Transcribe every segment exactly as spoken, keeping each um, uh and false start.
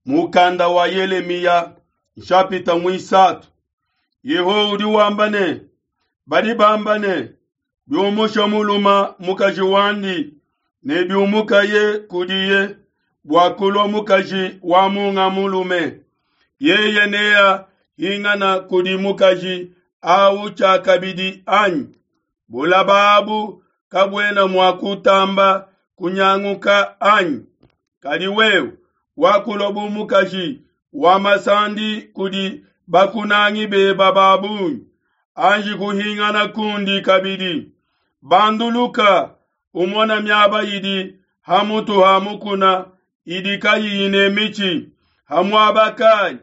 Mukanda wa Yelemiya nshapita muisatu. Yehowa udi wamba ne, badi bamba ne, biumusha muluma mukaji wandi ne biumukaye kudiye bua kulua mukaji wa munga mulume, yeye nea hingana kudi mukaji awu tshiakabidi anyi? Bulaba abu kabuena mua kutamba kunyanguka anyi? Kadi wewe wakulua bu mukaji wa masandi kudi bakunangi beba ba bungi, anji kuhingana kundi kabidi. Banduluka umona miaba idi ha mutu ha mukuna idi kayiyi ne mitshi, ha muaba kayi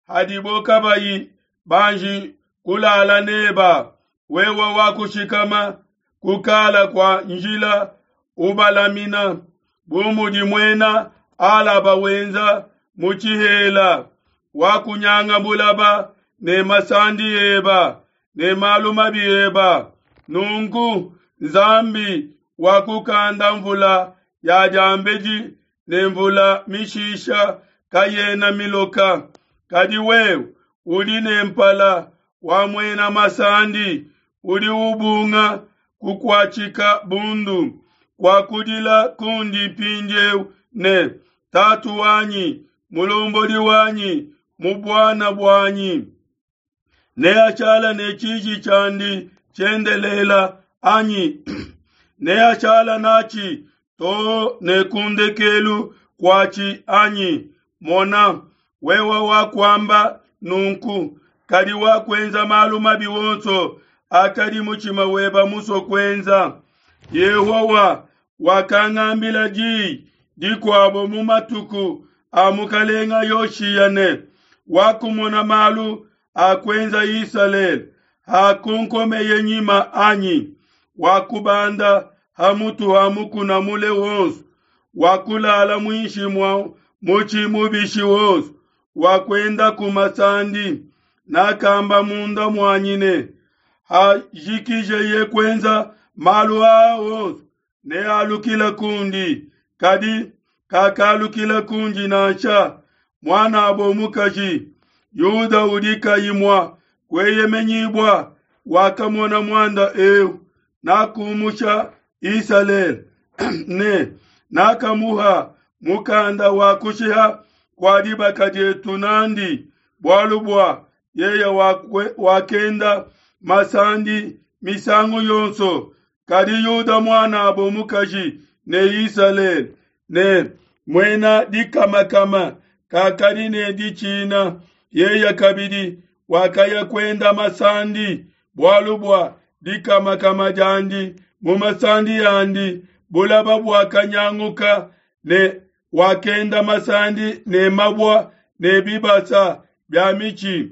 hadibo kabayi banji kulala neba. Wewe wakushikama kukala kua njila ubalamina, bu mudi muena Alaba wenza mu tshihela. Wakunyanga bulaba ne masandi eba ne malu mabi eba. Nunku Nzambi wakukanda mvula ya diambedi ne mvula mishisha kayena miloka. Kadi wewe udi ne mpala wa muena masandi, udi ubunga kukuatshika bundu. Kuakudila kundi mpindieu ne, Tatu wanyi, mulombodi wanyi, mu buana buanyi, neashala ne tshiji tshiandi tshiendelela anyi? Neashala natshi too ne kundekelu kuatshi anyi? Mona, wewe wakuamba nunku, kadi wakuenza malu mabi wonso akadi mutshima weba musue kuenza. Yehowa wakangambila diyi dikuabo mu matuku a mukalenga Yoshiya ne, wakumona malu akuenza Isalele hakunkomeye nyima anyi? Wakubanda ha mutu ha mukuna mule wonso, wakulala muinshi mua mutshi mubishi wonso, wakuenda ku masandi. Nakamba munda muanyi ne, hajikijeye kuenza malu aa wonso, nealukile kundi. Kadi kakalukila kundi nansha. Muanabo mukaji Yuda udi kayi mua kueyemenyibua wakamona muanda eu. Nakumusha Isalele ne nakamuha mukanda wa kushiha kua dibaka dietu nandi, bualu bua yeye wakenda masandi misangu yonso. Kadi Yuda muanabo mukaji ne Isalele ne muena dikamakama kakadi ne ditshina, yeye kabidi wakaya kuenda masandi, bualu bua dikamakama diandi mu masandi andi bulaba buakanyanguka, ne wakenda masandi ne mabua ne bibasa bia mitshi.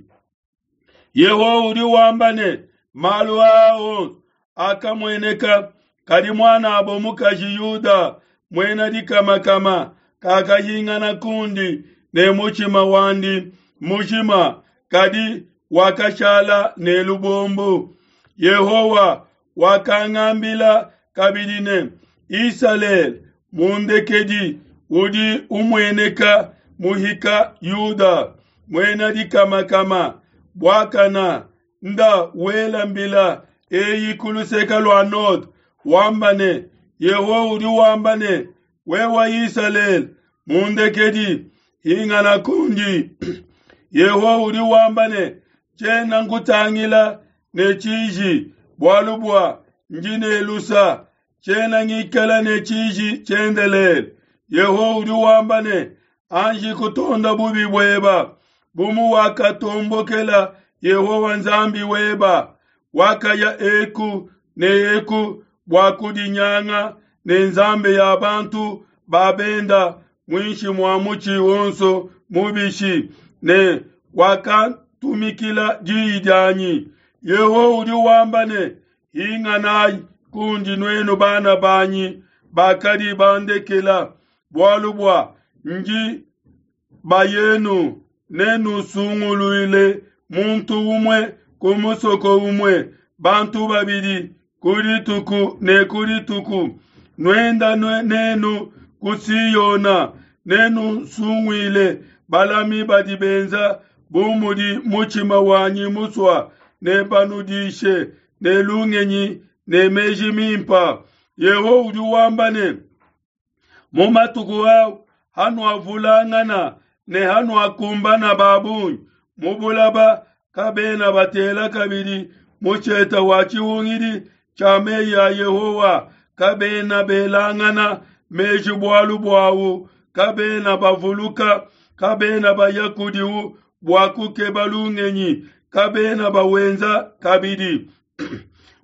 Yehowa udi wamba ne, malu aa wonso akamueneka, kadi muanabo mukaji Yuda muena dikamakama kakahingana kundi ne mutshima wandi mujima, kadi wakashala ne lubombo. Yehowa wakangambila kabidi ne, Isalele mundekedi udi umueneka muhika Yuda muena dikamakama buakana nda wela mbila eyi ku luseke lua node, wamba ne, Yehowa udi wamba ne, wewe Isalele mundekedi, hingana kundi. Yehowa udi wamba ne, tshiena nkutangila ne tshiji, bualu bua ndi ne lusa, tshiena ngikala ne tshiji tshiendelele. Yehowa udi wamba ne, anji kutonda bubi bueba, bu muwakatombokela Yehowa Nzambi weba, wakaya eku ne eku bua kudinyanga ne nzambi ya bantu babenda muinshi mua mutshi wonso mubishi, ne wakatumikila diyi dianyi. Yehowa udi wamba ne, hinganayi kundi nuenu bana banyi bakadi bandekela, bualu bua ndi bayenu, nenusunguluile muntu umue ku musoko umue, bantu babidi ku dituku ne ku dituku. Nuenda nenu ku Siyona, nenusunguile Balami badi benza bu mudi mutshima wanyi musua, nebanudishe ne lungenyi ne meji mimpa. Yehowa udi wamba ne, mu matuku au hanuavulangana ne hanuakumbana ba bungi mu bulaba, kabena batela kabidi musheta wa tshihungidi tshia meyi a Yehowa, kabena belangana meji bualu buawu, kabena bavuluka, kabena baya kudiwu bua kukeba lungenyi, kabena bawenza kabidi.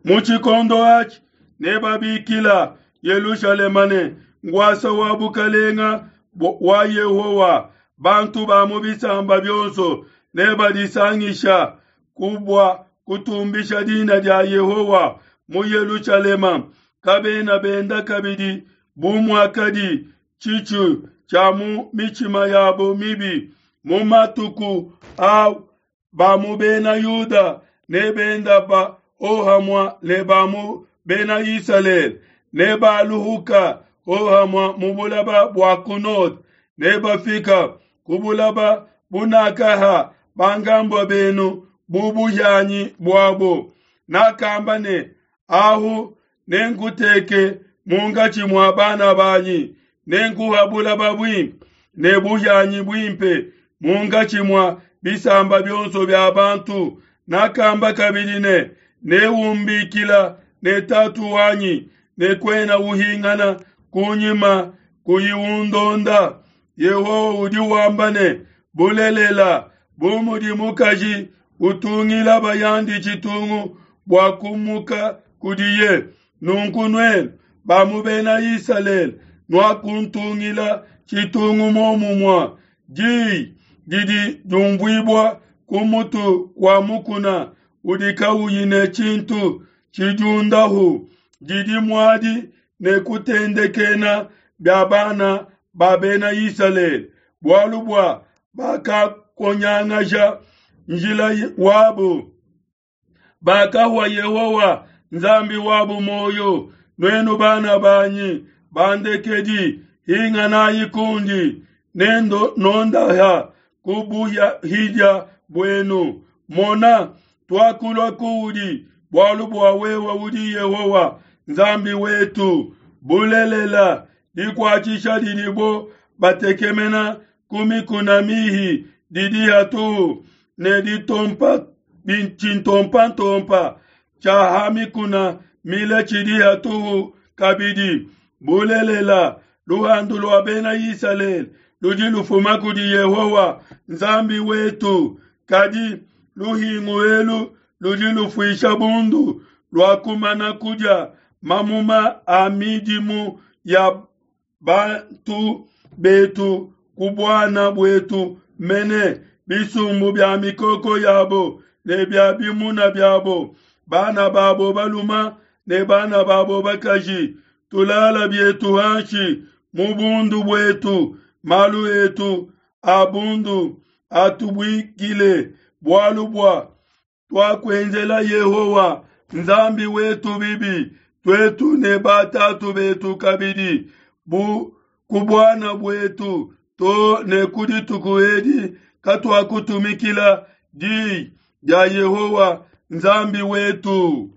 Mu tshikondo atshi nebabikila Yelushalema ne ngwasa wa bukalenga wa Yehowa. Bantu ba mu bisamba bionso nebadisangisha ku bua kutumbisha dina dia Yehowa mu Yelushalema. Kabena benda kabidi bu muakadi tshitshu tshia mu mitshima yabo mibi. Mu matuku a ba mu bena Yuda ne benda ba ohamua ne ba mu bena Isalele ne baluhuka ohamua mu bulaba bua ku node, ne bafika ku bulaba bunakaha bangambua benu bu buhianyi buabo. Nakamba ne, ahu nenkuteke munkatshi mua bana banyi, nenkuha bulaba buimpe ne buhianyi buimpe munkatshi mua bisamba bionso bia bantu. Nakamba kabidi ne, neumbikila ne tatu wanyi, ne kuena uhingana kunyima kuyi undonda. Yehowa udi wamba ne, bulelela, bu mudi mukaji utungila bayandi tshitungu bua kumuka kudiye, nunku nuenu ba mu bena Isalele nuakuntungila tshitungu momumua. Diyi didi diumvuibua ku mutu wa mukuna udi kauyi ne tshintu tshidiundahu, didi muadi ne kutendekena bia bana ba bena Isalele, bualu bua bakakonyangaja njila wabo, bakahua Yehowa Nzambi wabo moyo. Nuenu bana banyi bandekedi, hinganayi kundi, nendo nondaha ku buhidia buenu. Mona, tuakulua kuudi, bualu bua wewe udi Yehowa Nzambi wetu. Bulelela, dikuatshisha didibo batekemena ku mikuna mihi didi hatuhu, ne ditompa tshintompantompa tshia ha mikuna mile tshidi hatuhu kabidi. Bulelela, luhandu lua bena Isalele ludi lufuma kudi Yehowa Nzambi wetu. Kadi luhingu elu ludi lufuisha bundu lua kumana kudia mamuma a midimu ya bantu betu ku buana buetu mene, bisumbu bia mikoko yabo ne bia bimuna biabo, bana babo baluma ne bana babo bakaji. Tulala bietu hanshi mu bundu buetu, malu etu a bundu atubuikile, bualu bua tuakuenzela Yehowa Nzambi wetu bibi, tuetu ne batatu betu kabidi, bu ku buana buetu to ne ku dituku edi katuakutumikila diyi dia Yehowa Nzambi wetu.